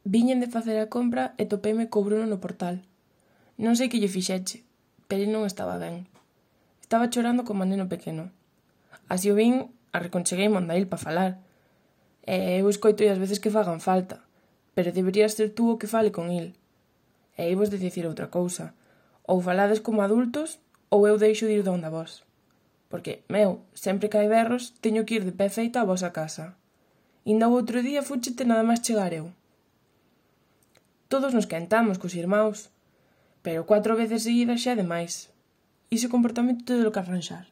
Viñen de facer a compra e topeime co Bruno no portal. Non sei que lle fixeche, pero non estaba ben. Estaba chorando como un neno pequeno. Así o vin, arreconcheguei onda il pa falar. E eu escoito as veces que fagan falta, pero deberías ser tú o que fale con il. E vos de dicir outra cousa. Ou falades como adultos, ou eu deixo de ir donde a vos. Porque, sempre que hai berros, teño que ir de pé feita a vosa casa. Inda o outro día fúchete nada máis chegar eu. Todos nos quentamos cos irmáus, pero 4 veces seguidas xa é demais. Iso comportamento todo o que arranxar.